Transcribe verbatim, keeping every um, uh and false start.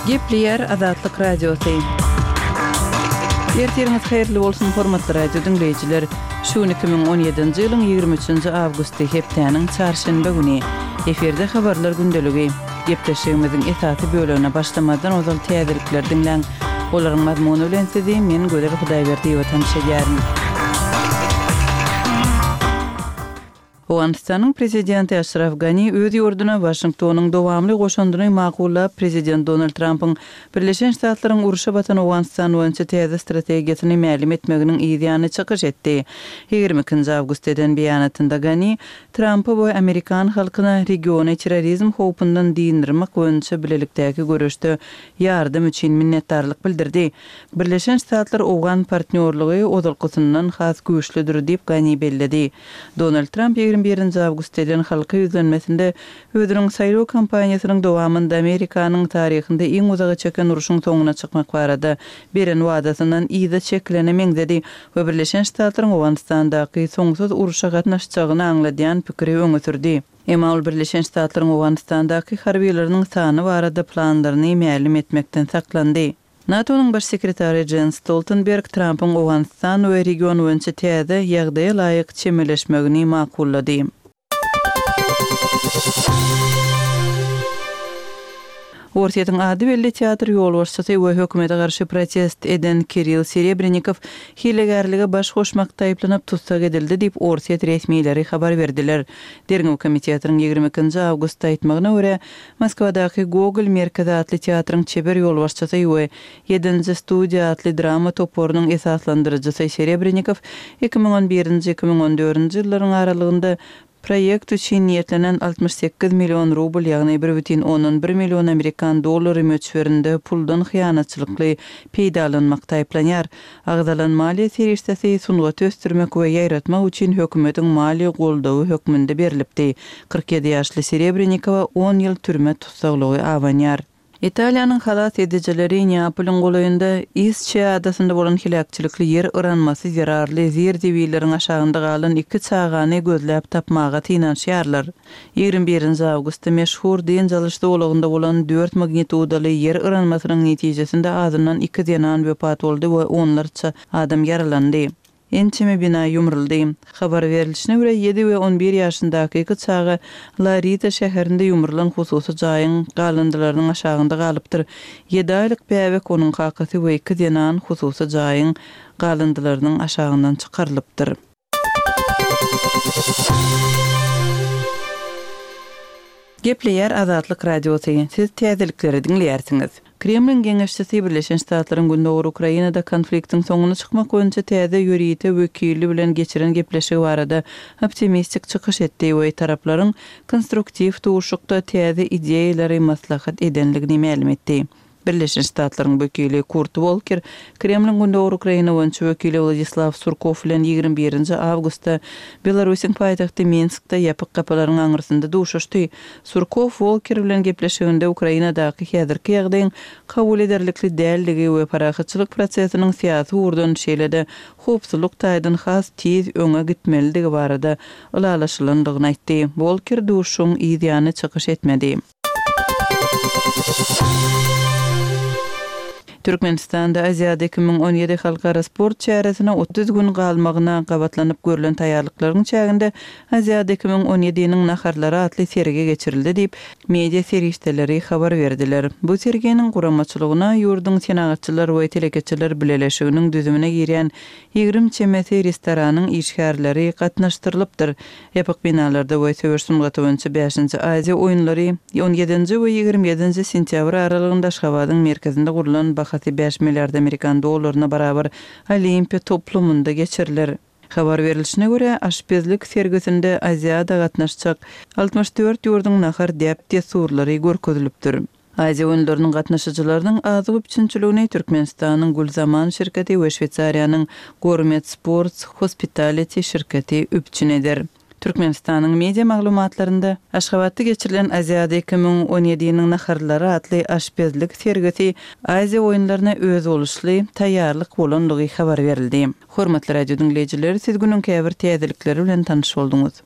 Gepleýär Azatlyk Radiosy. Ertiriňiz haýyrly bolsun, hormatly radio diňleýjiler! Şu gün iki müň on ýedinji ýylyň ýigrimi üçünji awgusty, hepdäniň çarşenbe güni. Efirde habarlar gündeligi. Gepleşigimiziň esasy bölegine başlamazdan ozal täzelikleri diňläň. Olaryň mazmuny bilen sizi men Gözel Hudaýberdiýewa tanyş edýärin. Owganystanyň prezidenti Aşraf Gani öz ýurduna Waşingtonyň dowamly goşandyny makullap, prezident Donald Trampyň Birleşen Ştatlaryň urşa batan Owganystan boýunça täze strategiýasyny mälim etmeginiň yz ýany çykyş etdi. Ýigrimi ikinji awgustda eden beýanatynda Gani Trampa we amerikan halkyna regiony terrorizm howpundan dynyrmak boýunça bilelikdäki göreşde ýardam üçin minnetdarlyk bildirdi. Birleşen Ştatlar-owgan partnýorlygy ozalkysyndan has güýçlüdir diýip, Gani belledi. Donald Tramp ýigrimi birinji awgustda eden halka ýüzlenmesinde özüniň saýlaw kampaniýasynyň dowamynda Amerikanyň taryhynda iň uzaga çeken urşuň soňuna çykmak barada beren wadasyndan yza çekilene meňzedi we Birleşen Ştatlaryň Owganystandaky soňsuz urşa gatnaşjagyny aňladýan pikiri öňe sürdi. Emma ol Birleşen Ştatlaryň Owganystandaky harbylarynyň sany barada planlaryny mälim etmekden saklandy. NATO-nyň baş sekretary Jens Stoltenberg Trampyň Owganystan we region boýunça täze ýagdaýa laýyk çemeleşmegini makullady. Orsýetiň ady belli teatr ýolbaşçysy we hökümete garşy protest eden Kirill Serebrennikow hilegärlige baş goşmakda aýyplanyp tussag edildi diýip, orsýet resmileri habar berdiler. Derňew komitetiniň ýigrimi ikinji awgustda aýtmagyna görä, Moskwadaky Gogol merkezi atly teatryň çeber ýolbaşçysy we Ýedinji studiýa atly drama toparynyň esaslandyryjysy Serebrennikow iki müň on birinji, iki müň on dördünji ýyllaryň aralygynda proýekt üçin niýetlenen altmyş sekiz million rubl, ýagny bir bütin ondan bir million amerikan dollary möçberinde puldan hyýanatçylykly peýdalanmakda aýyplanýar. Agzalan maliýe serişdesi sungaty ösdürmek we ýaýratmak üçin hökümetiň maliýe goldawy hökmünde berlipdi. Kyrk ýedi ýaşly Serebrennikowa on ýyl türme tussaglygy abanýar. Italiýanyň halas edijileri Neapolyň golaýynda Isçiýa adasynda bolan heläkçilikli ýer yranmasy zerarly zir-zibilleriň aşagynda galan iki çagany gözläp tapmaga synanyşýarlar. Ýigrimi birinji awgustda meşhur dynç alyş zolagynda bolan dört magnitudaly ýer yranmasynyň netijesinde azyndan iki zenan wepat boldy we onlarça adam ýaralandy. Ençeme bina ýumruldy. Habar berlişine görä, ýedi we on bir ýaşyndaky iki çaga La Rita şäherinde ýumrulan hususy jaýyň galyndylarynyň aşagynda galypdyr. Ýedi aýlyk bäbek, onuň kakasy we iki zenan hususy jaýyň galyndylarynyň aşagyndan çykarylypdyr. Gepleýär Azatlyk Radiosy. Siz täzelikleri diňleýärsiňiz. Kremliň geňeşçisi Birleşen Ştatlaryň Gündogar Ukrainada konfliktiň soňuna çykmak boýunça täze ýörite wekili bilen geçiren gepleşigi barada optimistik çykyş etdi we taraplaryň konstruktiw duşuşykda täze ideýalary maslahat edenligini mälim etdi. Birleşen Ştatlaryň wekili Kurt Wolker Kremliň Gündogar Ukraina boýunça wekili Wladislaw Surkow bilen ýigrimi birinji awgustda Belarusyň paýtagty Minskde ýapyk gapylaryň aňyrsynda duşuşdy. Surkow Wolker bilen gepleşiginde Ukrainadaky häzirki ýagdaýyň kabul ederlikli däldigi we parahatçylyk prosesiniň syýasy ugurdan şeýle-de howpsuzlyk taýdan has tiz öňe gitmelidigi barada ylalaşylandygyny aýtdy. Wolker duşuşygyň yz ýany çykyş etmedi. Türkmenistanda Aziada iki müň on ýedi halkara sport çäresine otuz gün galmagyna gabatlanyp görlen taýýarlyklaryň çäginde Aziada iki müň on ýediniň naharlary atly sergi geçirildi diýip, media serişdeleri habar berdiler. Bu serginiň guramaçylygyna ýurduň Senagatçylar we telekeçiler bileleşiginiň düzümine girýän ýigrimi çemesi restoranyň işgärleri gatnaşdyrylypdyr. Ýapyk binalarda we söweş sungaty boýunça bäşinji Aziýa oýunlary on ýedinji we ýigrimi ýedinji sentýabr aralygynda Aşgabadyň merkezinde gurlan bahasy bäş milliard amerikan dollaryna barabar Olimpiýa toplumynda geçiriler. Habar berlişine görä, aşpezlik sergisinde Aziada gatnaşjak altmyş dört ýurduň nahar däp-dessurlary görkezilipdir. Aziýa oýunlarynyň gatnaşyjylarynyň azyk üpjünçiligini Türkmenistanyň Gülzaman şirketi we Şweýsariýanyň Gourmet Sports Hospitality şirketi üpjün eder. Türkmenistanyň media maglumatlarynda Aşgabatda geçirilen Aziada iki müň on ýediniň naharlary atly aşpezlik sergisi Aziýa oýunlaryna özboluşly taýýarlyk bolandygy habar berildi. Hormatly radio diňleýjiler, siz günüň käbir täzelikleri bilen tanyş bolduňyz.